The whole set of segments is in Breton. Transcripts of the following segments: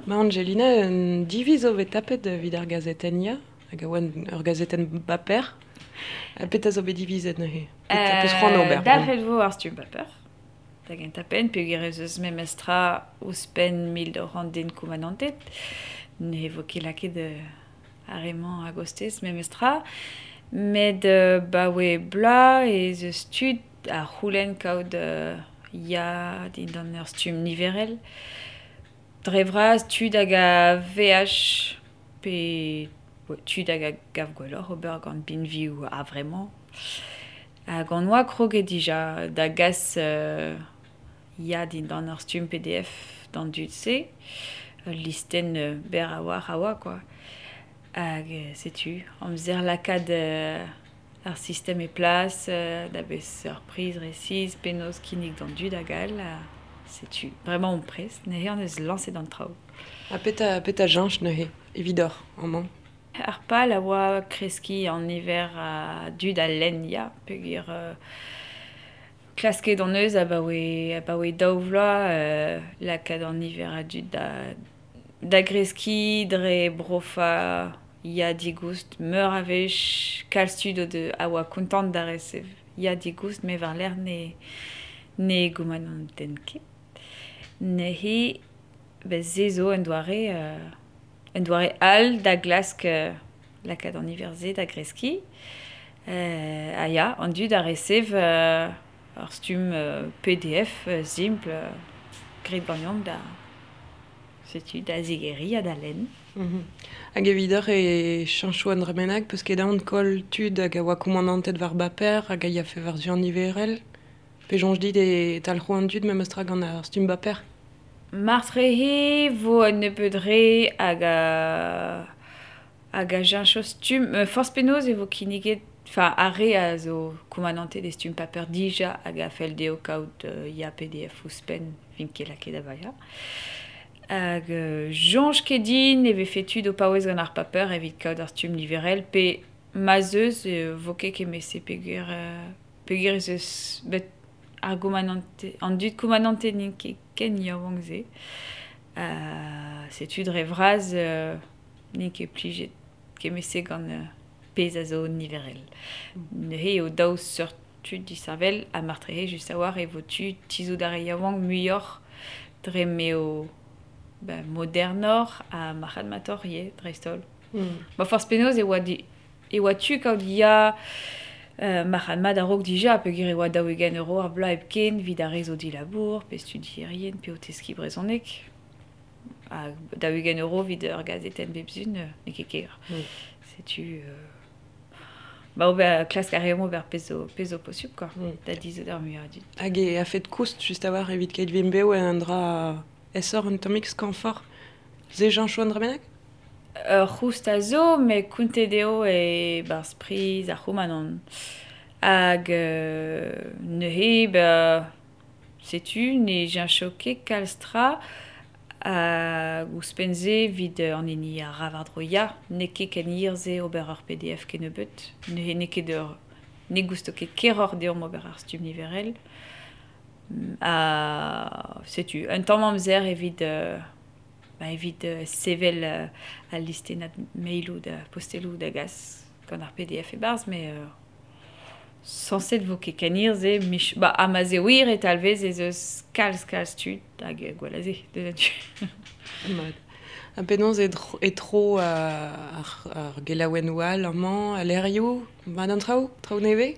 Ma Angelina, un diviz zo bet tapet evit ar gazetenn Ya, hag a oa ur gazetenn baper. Ha petra zo bet divizet neuze? Petra peus c'hoant ober? Dalc'het vo ar stumm baper. Da gentañ penn, peogwir ez eus memestra ouzhpenn 1200 den koumanantet. Ne vo ket lakaet ar re-mañ a-gostez memestra. Met 'baoe bloaz ez eus tud a c'houlenn kaout Ya dindan ur stumm niverel. Dre vras tud hag a veaj pe tud hag a gav gwelloc'h ober gant binvioù a-vremañ. Hag on oa kroget dija da gas Ya dindan ur stumm PDF d'an dud-se. Ul listenn berr a-walc'h a oa kwa. Hag setu amzer lakaat ar sistem e plas, da beseurt priz resis, penaos kinnig d'an dud hag all. Setu, bremañ omp prest, neuze hon eus lañset an traoù. Ha petra cheñch neuze evidoc'h amañ? Ar pal a oa kreskiñ an niver a dud a lenn ya, peogwir klasket hon eus abaoe daou vloaz lakaat an niver a dud da greskiñ dre brofañ Ya digoust meur a wech. Kalz tud o a oa kontant da resev Ya digoust met war-lerc'h ne goumanantent ket. Neuze se zo un doare all da glask lakaat an niver-se da greskiñ. Ha ya, an dud a resev ur stumm PDF simpl graet ganeomp da setu da zigeriñ ha da lenn. Hag evidoc'h e cheñcho an dra bennak peus ket aon koll tud hag a oa koumanantet war baper hag a yafe war-zu an niverel? Pe soñj dit e talc'ho an dud memes tra gant ar stumm baper? Marteze vo un nebeud re hag a cheñcho stumm. Forzh penaos e vo kinniget, enfin ar re a zo koumanantet e stumm paper dija hag a fell dezho kaout ya PDF ouzhpenn vint ket lakaet da baeañ. Hag soñj ket din e vefe tud o paouez gant ar paper evit kaout ar stumm niverel pe ma 'z eus e vo ket kement-se peogwir ez eus bet ar goumanante an dud koumanantet n'int ket ken yaouank-se. Setu dre vras n'int ket plijet kement-se gant pezh a zo niverel. Neuze eo daou seurt tud disheñvel ha marteze just a-walc'h e vo tu tizhout ar re yaouank muioc'h dre m'eo modernoc'h ha marc'hadmatoc'h ivez dreist-holl. Ma forzh penaos e oa tu kaout ya marc'had-mat a-raok dija peogwir e oa 40 euro ar bloaz hepken evit ar re zo dilabour pe studierien pe o teskiñ brezhoneg. Ha 40 euro evit ur gazetenn bep sizhun n'eo ket ker. Setu ober klask a reomp ober pezh zo posupl quoi, da dizhout ar muiañ a dud. Hag e a-fet koust just a-walc'h evit keit vimp bev un dra aesoc'h un tammig skañvoc'h. Se cheñcho an dra bennak? Ur c'houst a zo, met kontet eo e-barzh priz ar c'houmanant. Hag neuze, setu, ne cheñcho ket kalz tra. Hag ouzhpenn-se, evit an hini a ra war-dro ya, n'eo ket ken hir-se ober ur PDF kennebeut. Neuze n'eo ket ur ne gousto ket keroc'h deomp ober ar stumm niverel. Ha setu, un tamm amzer evit evit sevel al listennad mailoù da posteloù da gas gant ar PDF e-barzh, met sañset vo ket ken hir-se. Ha ma 'z eo wir e talvez ez eus kalz tud hag gwell a se deus an tu. Mat. Ha penaos e tro ar gelaouennoù all amañ, al levrioù, mat an traoù, traoù nevez?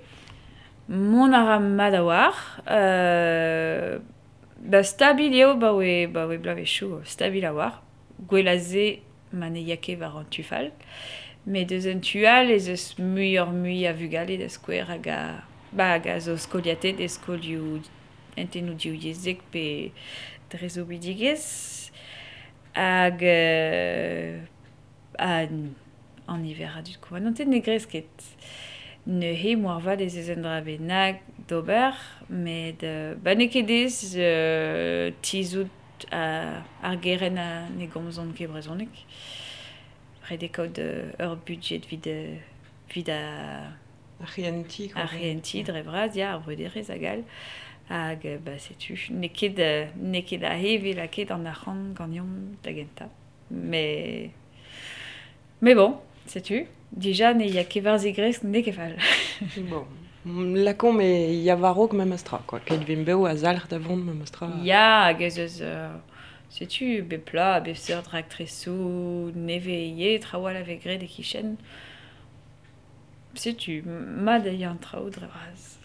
Mont a ra mat a-walc'h. Stabil eo 'baoe bloavezhioù, stabil a-walc'h. Gwell a se ma ne ya ket war an tu fall. Met eus un tu all ez eus muioc'h-mui a vugale da skouer hag a zo skoliatet e skolioù hentennoù divyezhek pe dre soubidigezh. Hag an niver a dud koumanantet ne gresk ket. Neuze moarvat ez eus un dra bennak d'ober, met n'eo ket aes tizhout ar gerent ne gomzont ket brezhoneg. Ret eo kaout ur budjed evit ar c'hehentiñ. Ar c'hehentiñ dre vras, ya, ar bruderezh hag all. Hag, ba, setu, n'eo ket, n'eo ket aze 'vez lakaet an arc'hant ganeomp da gentañ. Mais, mais bon, setu, dija ne ya ket war zigresk, n'eo ket fall. Bon, lakaomp e ya war-raok memes tra, quoi. Keit vimp bev a zalc'h da vont memes tra. Ya, hag ez eus, setu, bep bloaz, bep seurt raktresoù nevez ivez, traoù all a vez graet e-kichen. Setu, mat eo an traoù dre vras.